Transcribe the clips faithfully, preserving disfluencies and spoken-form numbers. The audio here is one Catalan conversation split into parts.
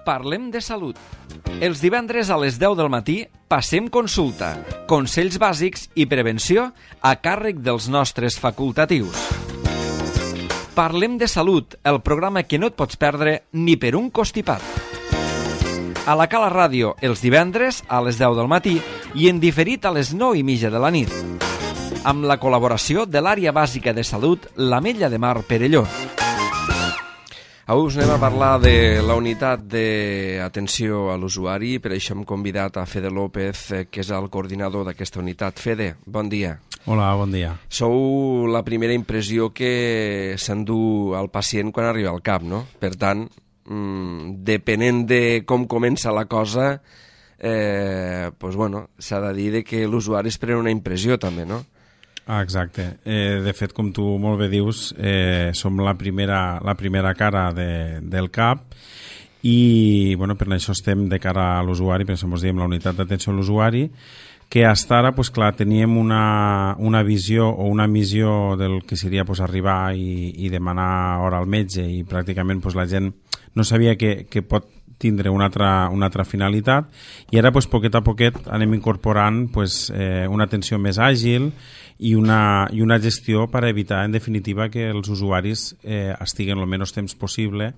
Parlem de salut. Els divendres a les deu del matí passem consulta, consells bàsics i prevenció a càrrec dels nostres facultatius. Parlem de salut, el programa que no et pots perdre ni per un costipat. A la Cala Ràdio, els divendres a les deu del matí i en diferit a les nou i mitja de la nit. Amb la col·laboració de l'Àrea Bàsica de Salut, l'Ametlla de Mar Perelló. Avui us anem a parlar de la unitat d'atenció a l'usuari, per això hem convidat a Fede López, que és el coordinador d'aquesta unitat. Fede, bon dia. Hola, bon dia. Sou la primera impressió que s'endú al pacient quan arriba al cap, no? Per tant, mmm, depenent de com comença la cosa, eh, pues bueno, s'ha de dir que l'usuari es pren una impressió també, no? Ah, exacte. Eh, de fet, com tu molt bé dius, eh, som la primera, la primera cara de, del CAP i bueno, per això estem de cara a l'usuari, per això ens diem la unitat d'atenció a l'usuari, que fins ara pues, clar, teníem una, una visió o una missió del que seria pues, arribar i, i demanar hora al metge i pràcticament pues, la gent no sabia que, que pot tindre una altra, una altra finalitat i ara pues, poquet a poquet anem incorporant pues, eh, una atenció més àgil i una, i una gestió per evitar en definitiva que els usuaris eh, estiguen el menys temps possible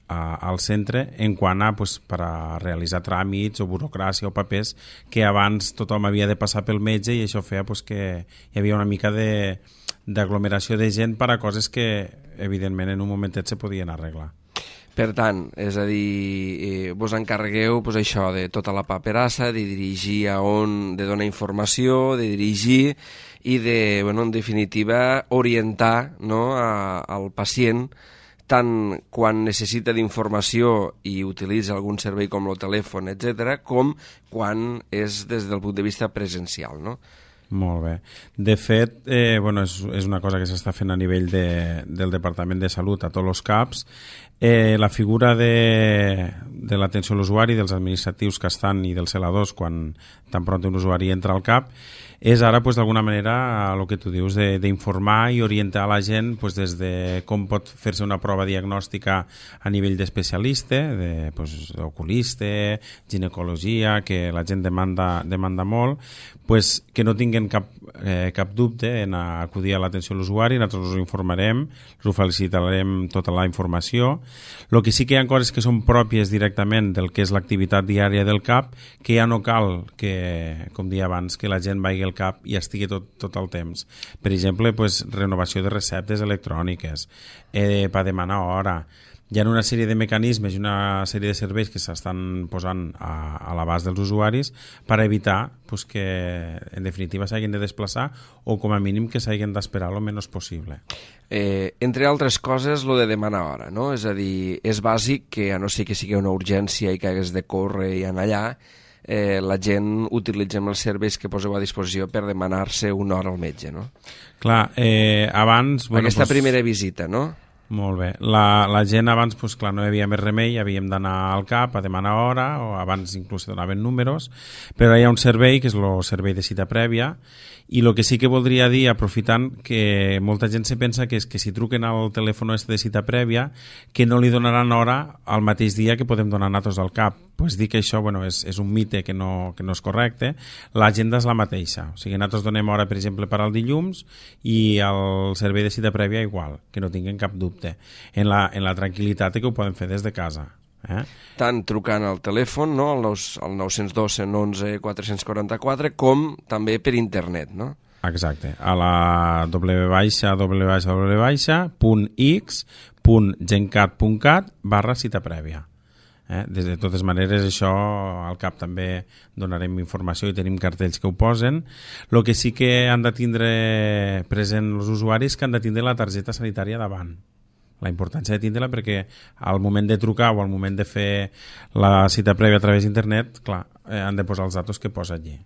a, al centre en quant a, pues, per a realitzar tràmits o burocràcia o papers que abans tothom havia de passar pel metge i això feia pues, que hi havia una mica de, d'aglomeració de gent per a coses que evidentment en un momentet se podien arreglar. Per tant, és a dir, eh, vos encarregueu pues, això de tota la paperassa, de dirigir a on, de donar informació, de dirigir i de, bueno, en definitiva, orientar, no, a, al pacient tant quan necessita d'informació i utilitza algun servei com el telèfon, etcètera, com quan és des del punt de vista presencial, no? Molt bé. De fet, eh, bueno, és, és una cosa que s'està fent a nivell de, del Departament de Salut a tots els CAPs. Eh, la figura de, de l'atenció a l'usuari, dels administratius que estan i dels celadors quan tan pront un usuari entra al CAP, és ara, pues, d'alguna manera, el que tu dius, d'informar i orientar la gent pues, des de com pot fer-se una prova diagnòstica a nivell d'especialista, de, pues, oculista, ginecologia, que la gent demanda, demanda molt, pues, que no tinguin cap, eh, cap dubte en acudir a l'atenció a l'usuari, nosaltres us informarem, us felicitarem tota la informació. El que sí que hi ha coses que són pròpies directament del que és l'activitat diària del CAP, que ja no cal que, com dia abans, que la gent vagi al CAP i estigui tot, tot el temps. Per exemple, pues, renovació de receptes electròniques, eh, per demanar hora. Hi ha una sèrie de mecanismes i una sèrie de serveis que s'estan posant a, a l'abast dels usuaris per evitar pues, que, en definitiva, s'hagin de desplaçar o, com a mínim, que s'hagin d'esperar el menys possible. Eh, entre altres coses, lo de demanar hora, no? És a dir, és bàsic que, a no ser que sigui una urgència i que hagués de córrer i anar allà, eh, la gent utilitzem els serveis que poseu a disposició per demanar-se una hora al metge, no? Clar, eh, abans... Bueno, Aquesta pues, primera visita, no? Molt bé. La, la gent abans, pues, clar, no hi havia més remei, havíem d'anar al CAP a demanar hora, o abans inclús donaven números, però hi ha un servei, que és el servei de cita prèvia, i el que sí que voldria dir, aprofitant, que molta gent se pensa que és que si truquen al telèfon de cita prèvia, que no li donaran hora al mateix dia que podem donar nosaltres al CAP. Pues dir que això, bueno, és, és un mite que no, que no és correcte. L'agenda és la mateixa. O sigui, nosaltres donem hora, per exemple, per al dilluns i el servei de cita prèvia igual, que no tinguin cap dubte. En la, en la tranquil·litat que ho poden fer des de casa. Eh? Tant trucant al telèfon, no? al, al nou cents dos cent onze quatre cents quaranta-quatre, com també per internet, no? Exacte, a la w baixa w baixa w baixa punt x punt gencat punt cat barra cita prèvia. Eh? De totes maneres, això al CAP també donarem informació i tenim cartells que ho posen. El que sí que han de tindre present els usuaris que han de tindre la targeta sanitària davant. La importància de tindre-la perquè al moment de trucar o al moment de fer la cita prèvia a través d'internet, clar, eh, han de posar els datos que posa allí.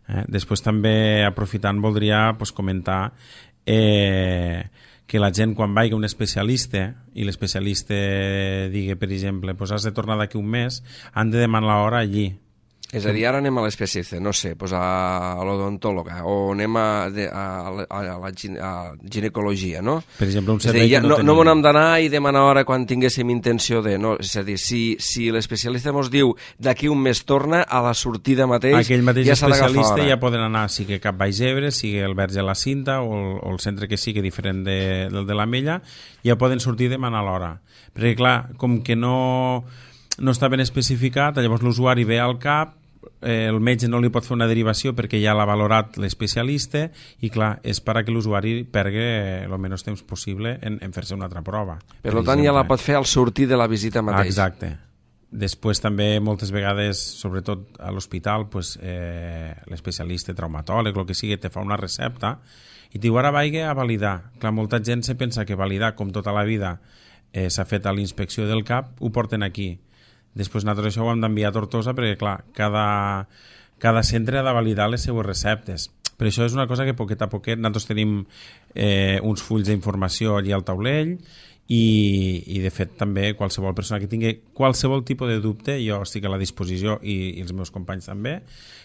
Eh? Després també, aprofitant, voldria pues, comentar eh, que la gent quan vagi a un especialista i l'especialista digui, per exemple, pues, has de tornar d'aquí un mes, han de demanar l'hora allí. És a dir, ara anem a l'especialista, no sé, pues a l'odontòloga, o anem a, de, a, a, a la gine, a ginecologia, no? Per exemple, un és servei dir, ja, que no, no tenim. No m'ho hem d'anar i demanar hora quan tinguéssim intenció de... No? És a dir, si, si l'especialista ens diu d'aquí un mes torna, a la sortida mateix, aquell mateix ja s'ha d'agafar especialista hora. ja poden anar, sigui Cap Baix Ebre, sigui el Verge la Cinta o el, o el centre que sigui diferent de, del de l'Ametlla, ja poden sortir i demanar l'hora. Perquè, clar, com que no, no està ben especificat, llavors l'usuari ve al CAP, eh, el metge no li pot fer una derivació perquè ja l'ha valorat l'especialista i, clar, és per a que l'usuari pergui el menys temps possible en, en fer-se una altra prova. Per, per tant, ja la pot fer al sortir de la visita mateix. Exacte. Després també moltes vegades, sobretot a l'hospital, pues, eh, l'especialista traumatòleg, el que sigui, te fa una recepta i diu, ara vaig a validar. Clar, molta gent se pensa que validar, com tota la vida, eh, s'ha fet a l'inspecció del CAP, ho porten aquí. Després nosaltres això ho hem d'enviar a Tortosa perquè, clar, cada, cada centre ha de validar les seues receptes. Per això és una cosa que poquet a poquet nosaltres tenim eh, uns fulls d'informació allà al taulell i, i de fet també qualsevol persona que tingui qualsevol tipus de dubte, jo estic a la disposició i, i els meus companys també,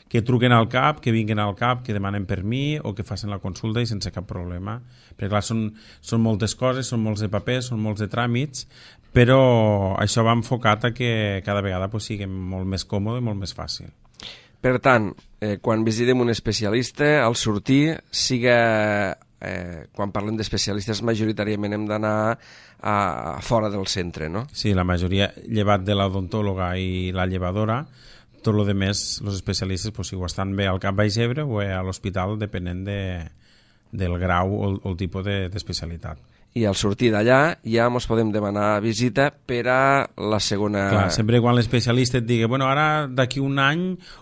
que truquen al CAP, que vinguin al CAP, que demanen per mi o que facin la consulta i sense cap problema. Perquè clar, són, són moltes coses, són molts de papers, són molts de tràmits, però això va enfocat a que cada vegada pues, sigui molt més còmode i molt més fàcil. Per tant, eh, quan visitem un especialista, al sortir, siga, eh, quan parlem d'especialistes, majoritàriament hem d'anar a, a fora del centre, no? Sí, la majoria, llevat de l'odontòloga i la llevadora, tot el que més, els especialistes, pues, si ho estan bé al Cap Baix Ebre o a l'hospital, depenent de, del grau o el, o el tipus d'especialitat. De, I al sortir d'allà ja ens podem demanar visita per a la segona... Clar, sempre quan l'especialista et digui bueno, ara d'aquí un any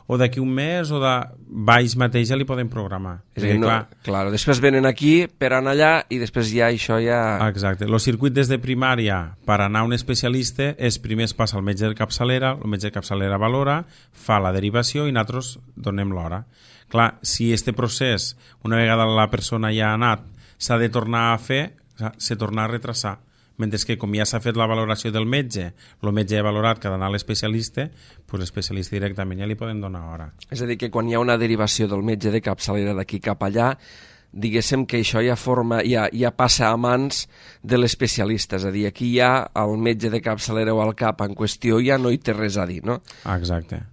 o d'aquí un mes o de baix mateix ja li podem programar. És dir, no, clar, clar, després venen aquí per anar allà i després ja això ja... Exacte. El circuit des de primària per anar a un especialista és primer es passa al metge de capçalera, el metge de capçalera valora, fa la derivació i nosaltres donem l'hora. Clar, si este procés, una vegada la persona ja ha anat, s'ha de tornar a fer, se torna a retrasar, mentre que com ja s'ha fet la valoració del metge, el metge ha valorat que ha d'anar a l'especialista, pues l'especialista directament ja li poden donar hora. És a dir, que quan hi ha una derivació del metge de capçalera d'aquí cap allà, diguéssim que això ja forma, ja, ja passa a mans de l'especialista, és a dir, aquí ja el metge de capçalera o el cap en qüestió ja no hi té res a dir, no? Exacte.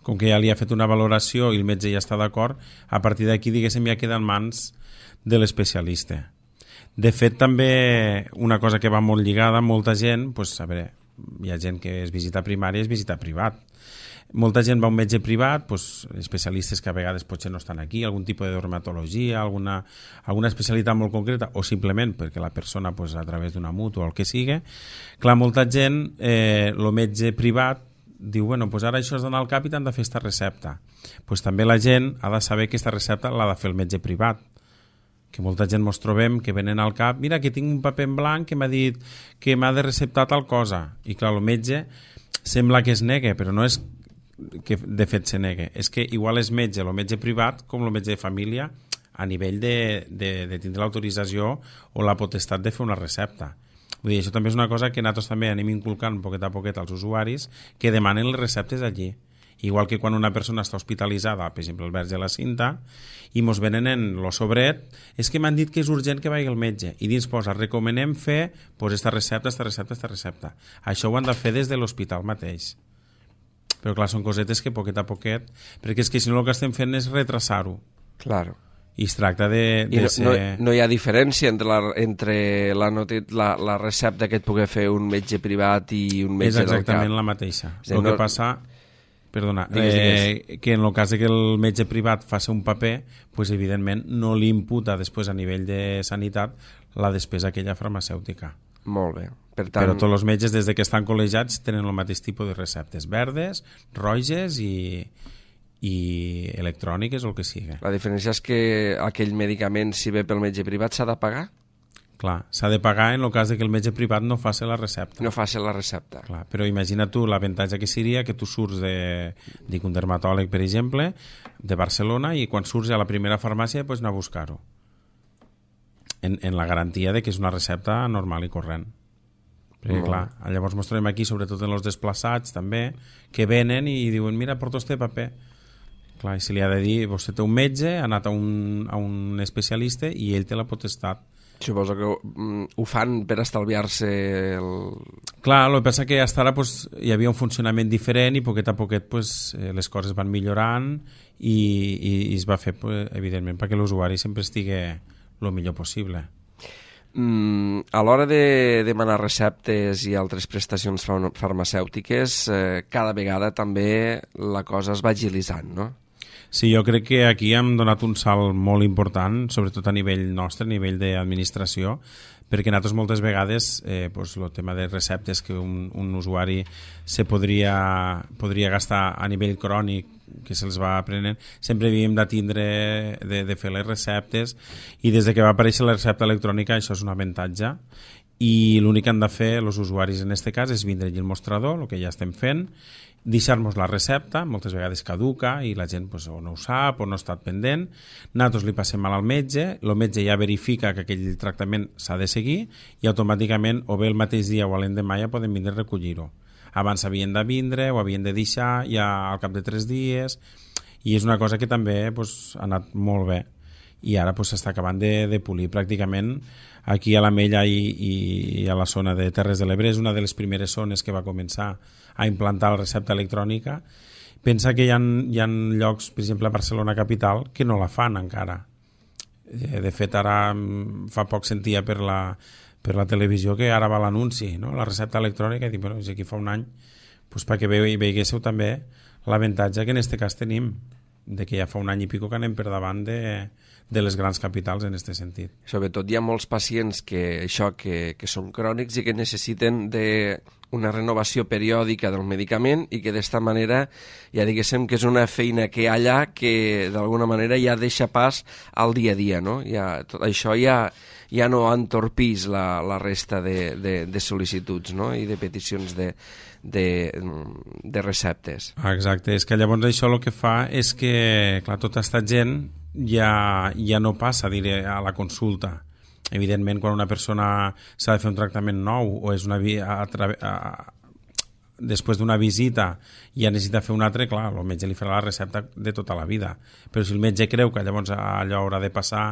Com que ja li ha fet una valoració i el metge ja està d'acord, a partir d'aquí, diguéssim, ja queda en mans de l'especialista. De fet, també una cosa que va molt lligada, molta gent, pues, a veure, hi ha gent que és visita primària i és visita privat. Molta gent va a un metge privat, pues, especialistes que a vegades potser no estan aquí, algun tipus de dermatologia, alguna, alguna especialitat molt concreta, o simplement perquè la persona pues, a través d'una mútua o el que sigui. Clar, molta gent, eh, el metge privat diu, bueno, pues ara això has d'anar al cap i t'han de fer aquesta recepta. Pues també la gent ha de saber que aquesta recepta l'ha de fer el metge privat, que molta gent ens trobem que venen al cap, mira que tinc un paper en blanc que m'ha dit que m'ha de receptar tal cosa, i clar, el metge sembla que es nega, però no és que de fet se nega, és que igual és metge, el metge privat com el metge de família a nivell de, de, de tindre l'autorització o la potestat de fer una recepta. Vull dir, això també és una cosa que nosaltres també anem inculcant poquet a poquet als usuaris que demanen les receptes allí. Igual que quan una persona està hospitalitzada, per exemple el Verge de la Cinta, i mos venen en lo sobret, és que m'han dit que és urgent que vagi al metge, i dins posa, recomanem fer pues, esta recepta, esta recepta, esta recepta. Això ho han de fer des de l'hospital mateix. Però clar, són cosetes que poquet a poquet, perquè és que si no el que estem fent és retrasar-ho. Claro. I es tracta de, de I no, ser... no, no hi ha diferència entre, la, entre la, la, la recepta que et pugui fer un metge privat i un metge del cap. És exactament la mateixa. Sí, el no... que passa... Perdona, digues, digues. Eh, que en el cas de que el metge privat faci un paper, pues evidentment no li imputa després a nivell de sanitat la despesa aquella farmacèutica. Molt bé. Per tant... Però tots els metges, des de que estan col·legiats, tenen el mateix tipus de receptes, verdes, roges i, i electròniques o el que sigui. La diferència és que aquell medicament, si ve pel metge privat, s'ha de pagar? Clar, s'ha de pagar en el cas de que el metge privat no faci la recepta. No faci la recepta. Clar, però imagina tu l'avantatge que seria que tu surts de, dic un dermatòleg, per exemple, de Barcelona, i quan surts a la primera farmàcia pots anar a buscar-ho. En, en la garantia de que és una recepta normal i corrent. Perquè, clar, llavors ens trobem aquí, sobretot en els desplaçats, també, que venen i diuen, mira, porto este paper. Clar, i se li ha de dir, vostè té un metge, ha anat a un, a un especialista i ell té la potestat. Suposo que um, ho fan per estalviar-se el... Clar, el que passa que fins ara pues, hi havia un funcionament diferent i poquet a poquet pues, eh, les coses van millorant i, i, i es va fer, pues, evidentment, perquè l'usuari sempre estigui el millor possible. Mm, a l'hora de demanar receptes i altres prestacions farmacèutiques, eh, cada vegada també la cosa es va agilitzant, no? Sí, jo crec que aquí hem donat un salt molt important, sobretot a nivell nostre, a nivell d'administració, perquè nosaltres moltes vegades eh, pues, el tema de receptes que un, un usuari se podria, podria gastar a nivell crònic, que se'ls va aprenent, sempre havíem de tindre de, de fer les receptes, i des de que va aparèixer la recepta electrònica això és un avantatge, i l'únic que han de fer els usuaris en aquest cas és vindre allí el mostrador, el que ja estem fent, deixar-nos la recepta, moltes vegades caduca i la gent pues, o no ho sap o no ha estat pendent, nosaltres li passem mal al metge, el metge ja verifica que aquell tractament s'ha de seguir i automàticament o bé el mateix dia o l'endemà ja poden vindre a recollir-ho. Abans havien de vindre o havien de deixar ja al cap de tres dies, i és una cosa que també pues, ha anat molt bé i ara s'està pues, acabant de, de polir pràcticament. Aquí a l'Ametlla i, i a la zona de Terres de l'Ebre és una de les primeres zones que va començar a implantar la recepta electrònica. Pensa que hi ha, hi ha llocs, per exemple a Barcelona capital, que no la fan encara. De fet, ara fa poc sentia per la, per la televisió que ara va l'anunci, no? La recepta electrònica, i dic, bueno, aquí fa un any, pues, perquè veiéssiu també l'avantatge que en aquest cas tenim, de que ja fa un any i pico que anem per davant de, de les grans capitals en aquest sentit. Sobretot hi ha molts pacients que, això, que, que són crònics i que necessiten de una renovació periòdica del medicament i que d'esta manera ja diguéssim que és una feina que hi ha allà que d'alguna manera ja deixa pas al dia a dia, no? Ja, tot això ja, ja no entorpís la, la resta de, de, de sol·licituds, no? I de peticions de, de, de receptes. Exacte, és que llavors això el que fa és que, clar, tota aquesta gent ja, ja no passa diré, a la consulta. Evidentment, quan una persona s'ha de fer un tractament nou o és una a, a, a, després d'una visita i ja necessita fer un altre, clar, el metge li farà la recepta de tota la vida. Però si el metge creu que llavors allò haurà de passar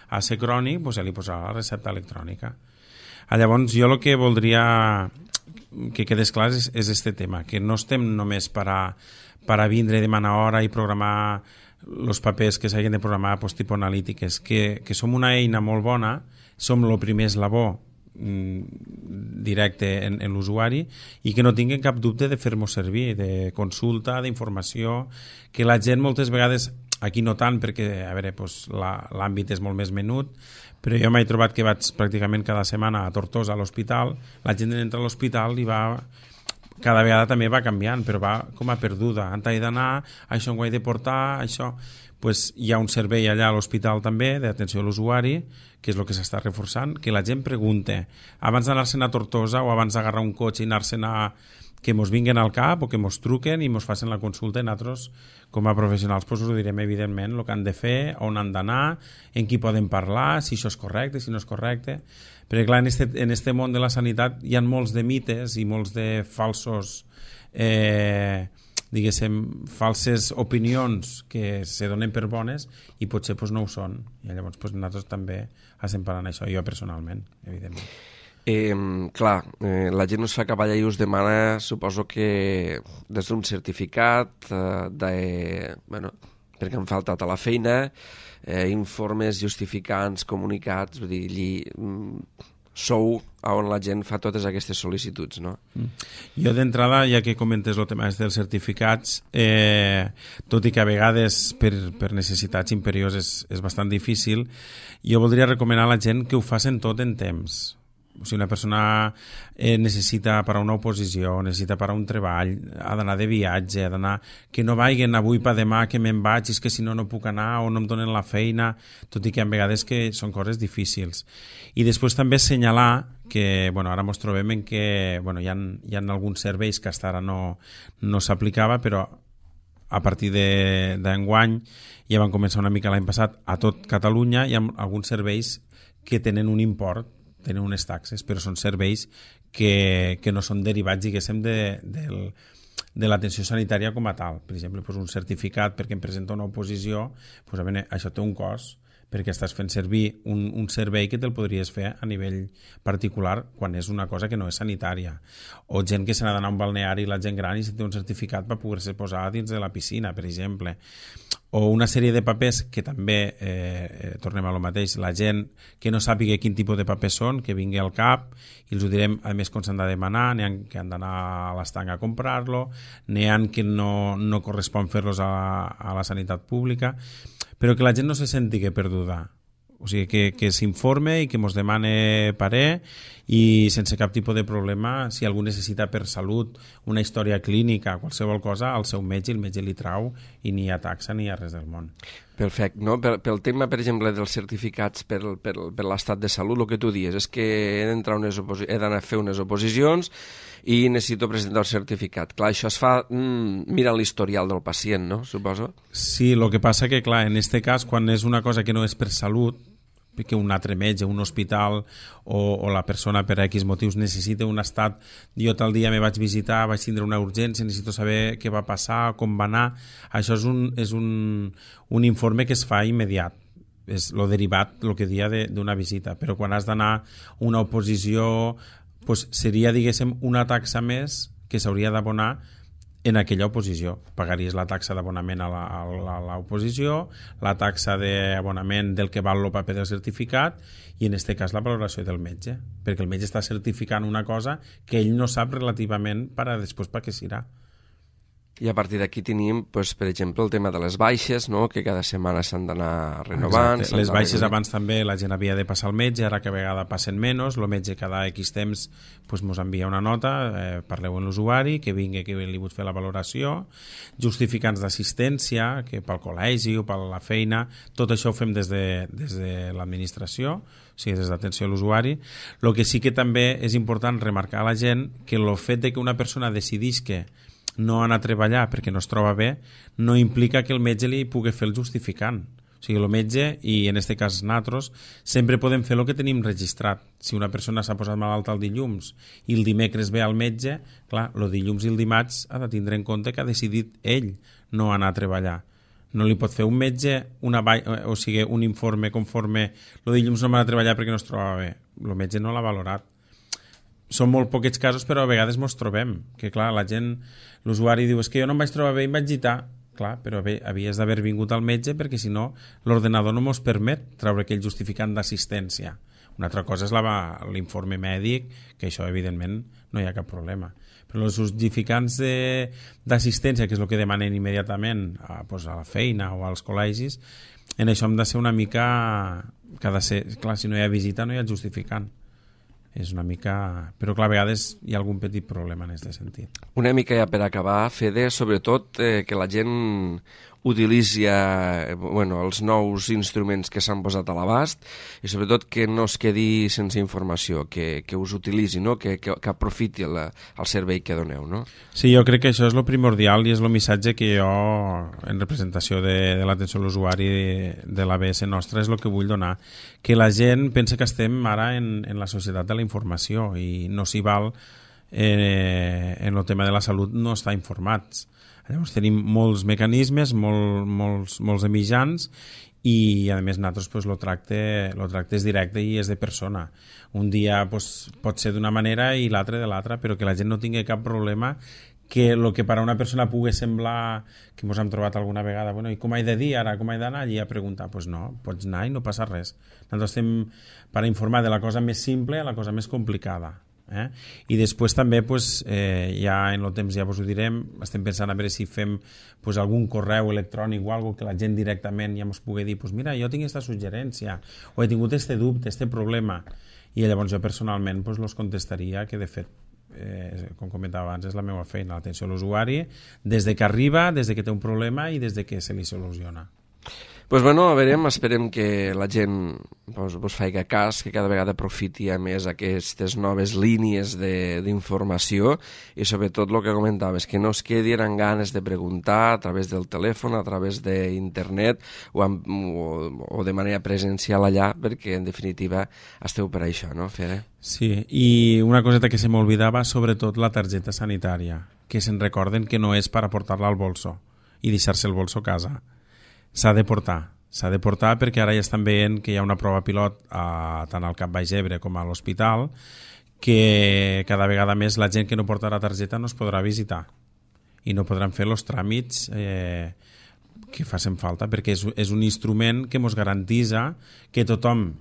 a ser crònic, doncs ja li posarà la recepta electrònica. Llavors, jo el que voldria que quedés clar és, és este tema, que no estem només per a, per a vindre i demanar hora i programar els papers que s'hagin de programar pues, tipus analítiques, que, que som una eina molt bona, som el primer eslabó directe en, en l'usuari i que no tinguin cap dubte de fer-nos servir, de consulta, d'informació, que la gent moltes vegades, aquí no tant perquè a veure, doncs, l'àmbit és molt més menut, però jo m'he trobat que vaig pràcticament cada setmana a Tortosa a l'hospital, la gent entra a l'hospital i va... cada vegada també va canviant, però va com a perduda. On he d'anar, això ho he de portar, això... Pues hi ha un servei allà a l'hospital també d'atenció a l'usuari, que és el que s'està reforçant, que la gent pregunte, abans d'anar-se'n a Tortosa o abans d'agarrar un cotxe i anar-se'n a... que mos vinguen al cap o que mos truquen i mos facin la consulta i nosaltres, com a professionals, pues, us ho direm evidentment el que han de fer, on han d'anar, en qui poden parlar, si això és correcte, si no és correcte... Perquè clar, en este, en este món de la sanitat hi ha molts de mites i molts de falsos... Eh, diguéssim, falses opinions que se donen per bones i potser pues, no ho són. I llavors pues, nosaltres també estem parlant això, jo personalment, evidentment. Eh, clar, eh, la gent us fa cavall i us demana, suposo que des d'un certificat, eh, de, bueno, perquè han faltat a la feina, eh, informes justificants, comunicats, vull dir, allí... Mm, sou on la gent fa totes aquestes sol·licituds, no? Jo d'entrada, ja que comentes el tema dels certificats, eh, tot i que a vegades per, per necessitats imperioses és, és bastant difícil, jo voldria recomanar a la gent que ho facin tot en temps. O sigui, una persona eh, necessita per a una oposició, necessita per a un treball, ha d'anar de viatge, ha d'anar... que no vagin avui per demà que me'n vaig, és que si no no puc anar o no em donen la feina, tot i que a vegades que són coses difícils. I després també assenyalar que, bueno, ara ens trobem en que bueno, hi ha, hi ha alguns serveis que fins ara no, no s'aplicava, però a partir d'enguany ja van començar una mica l'any passat a tot Catalunya, hi ha alguns serveis que tenen un import, tenen unes taxes, però són serveis que, que no són derivats, diguéssim, de, del, de l'atenció sanitària com a tal. Per exemple, doncs un certificat perquè em presenta una oposició, doncs, a veure, això té un cost, perquè estàs fent servir un, un servei que te'l podries fer a nivell particular quan és una cosa que no és sanitària. O gent que se n'ha d'anar a un balneari, la gent gran, i si té un certificat per poder-se posar dins de la piscina, per exemple. O una sèrie de papers que també, eh, eh, tornem a lo mateix, la gent que no sàpiga quin tipus de papers són, que vingui al cap, i els ho direm, a més, com s'han de demanar, n'hi ha que han d'anar a l'estanc a comprar-lo, n'hi ha que no, no correspon fer-los a, a la sanitat pública, però que la gent no se senti que perduda. O sigui, que, que s'informe i que mos demane parer, i sense cap tipus de problema, si algú necessita per salut una història clínica, qualsevol cosa, al seu metge, el metge li trau, i ni hi ha taxa ni hi ha res del món. Perfecte. No? Pel, pel tema, per exemple, dels certificats per, per, per l'estat de salut, el que tu dius és que he d'entrar unes oposi- he d'anar a fer unes oposicions i necessito presentar el certificat. Clar, això es fa mm, mirant l'historial del pacient, no? Suposo. Sí, el que passa que, clar, en este cas, quan és una cosa que no és per salut, que un altre metge, un hospital o, o la persona per X motius necessita un estat, jo tal dia me vaig visitar, vaig tindre una urgència, necessito saber què va passar, com va anar, això és un, és un, un informe que es fa immediat, és lo derivat, el que dia d'una visita, però quan has d'anar una oposició, pues seria, diguéssim, una taxa més que s'hauria d'abonar en aquella oposició. Pagaries la taxa d'abonament a l'oposició, la taxa d'abonament del que val el paper del certificat i en aquest cas la valoració del metge, perquè el metge està certificant una cosa que ell no sap relativament per a després per què serà. I a partir d'aquí tenim, pues, per exemple, el tema de les baixes, no? Que cada setmana s'han d'anar renovant. Exacte. Les baixes abans també la gent havia de passar al metge, ara que a vegada passen menys, el metge cada X temps pues, mos envia una nota, eh, parleu amb l'usuari, que vingui, que li vull fer la valoració, justificants d'assistència, que pel col·legi o per la feina, tot això ho fem des de, des de l'administració, o sigui, des d'atenció a l'usuari. El que sí que també és important remarcar a la gent que el fet de que una persona decidís que no anar a treballar perquè no es troba bé no implica que el metge li pugui fer el justificant. O sigui, el metge, i en aquest cas nosaltres, sempre podem fer el que tenim registrat. Si una persona s'ha posat malalta el dilluns i el dimecres ve al metge, clar, el dilluns i el dimarts ha de tindre en compte que ha decidit ell no anar a treballar. No li pot fer un metge una ba... o sigui, un informe conforme el dilluns no m'ha de treballar perquè no es troba bé. El metge no l'ha valorat. Són molt poquets casos, però a vegades mos trobem. Que clar, la gent, l'usuari diu, és que jo no em vaig trobar bé i em vaig gitar. Clar, però bé, havies d'haver vingut al metge perquè si no l'ordenador no mos permet treure aquell justificant d'assistència. Una altra cosa és l'informe mèdic, que això evidentment no hi ha cap problema. Però els justificants d'assistència, que és el que demanen immediatament a, pues, a la feina o als col·legis, en això hem de ser una mica... Que ha de ser, clar, si no hi ha visita no hi ha justificant. És una mica... Però clar, a vegades hi ha algun petit problema en aquest sentit. Una mica ja per acabar, Fede, sobretot eh, que la gent utilitzi eh, bueno, els nous instruments que s'han posat a l'abast i sobretot que no es quedi sense informació, que, que us utilitzi, no? que, que, que aprofiti la, el servei que doneu. No? Sí, jo crec que això és el primordial i és el missatge que jo, en representació de, de l'atenció a l'usuari de, de l'A B S nostra, és el que vull donar. Que la gent pensa que estem ara en, en la societat de la informació i no s'hi val eh, en el tema de la salut no estar informats. Llavors tenim molts mecanismes, molt, molts, molts de mitjans i a més nosaltres pues, lo, tracte, lo tracte és directe i és de persona. Un dia pues, pot ser d'una manera i l'altre de l'altra, però que la gent no tingui cap problema, que el que per a una persona pugui semblar que ens hem trobat alguna vegada, bueno, i com he de dir ara, com he d'anar allí a preguntar? Doncs pues no, pots anar i no passa res. Nosaltres estem per informar de la cosa més simple a la cosa més complicada. Eh? I després també pues, eh, ja en el temps ja vos ho direm, estem pensant a veure si fem pues, algun correu electrònic o alguna que la gent directament ja ens pugui dir pues, mira, jo tinc aquesta suggerència o he tingut este dubte, este problema, i llavors jo personalment pues, los contestaria, que de fet eh, com comentava abans és la meva feina, l'atenció a l'usuari des de que arriba, des de que té un problema i des de que se li soluciona. Pues bueno, a veure, esperem que la gent pues, vos faiga cas, que cada vegada aprofiti a més aquestes noves línies d'informació i sobretot el que comentaves, que no es quedi amb ganes de preguntar a través del telèfon, a través d'internet o, amb, o, o de manera presencial allà, perquè en definitiva esteu per això, no, Fere? Sí, i una coseta que se m'olvidava, sobretot la targeta sanitària, que se'n recorden que no és per aportar-la al bolso i deixar-se el bolso a casa. S'ha de portar, s'ha de portar perquè ara ja estan veient que hi ha una prova pilot a, tant al Cap Baix Ebre com a l'hospital, que cada vegada més la gent que no portarà targeta no es podrà visitar i no podran fer els tràmits eh, que facin falta, perquè és, és un instrument que ens garantitza que tothom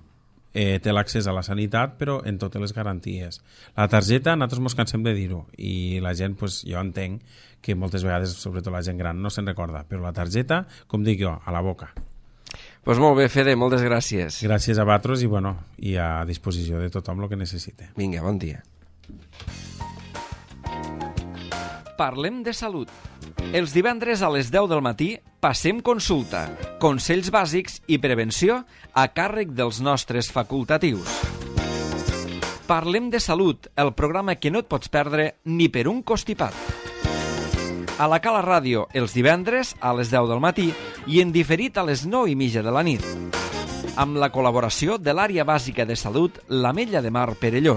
eh, té l'accés a la sanitat, però en totes les garanties. La targeta, nosaltres ens cansem de dir-ho, i la gent, pues, jo entenc que moltes vegades, sobretot la gent gran, no se'n recorda, però la targeta, com dic jo, a la boca. Doncs pues molt bé, Fede, moltes gràcies. Gràcies a vosaltres i, bueno, i a disposició de tothom el que necessite. Vinga, bon dia. Parlem de salut. Els divendres a les deu del matí passem consulta, consells bàsics i prevenció a càrrec dels nostres facultatius. Parlem de salut, el programa que no et pots perdre ni per un costipat. A la Cala Ràdio els divendres a les deu del matí i en diferit a les nou i mitja de la nit. Amb la col·laboració de l'àrea bàsica de salut l'Ametlla de Mar Perelló.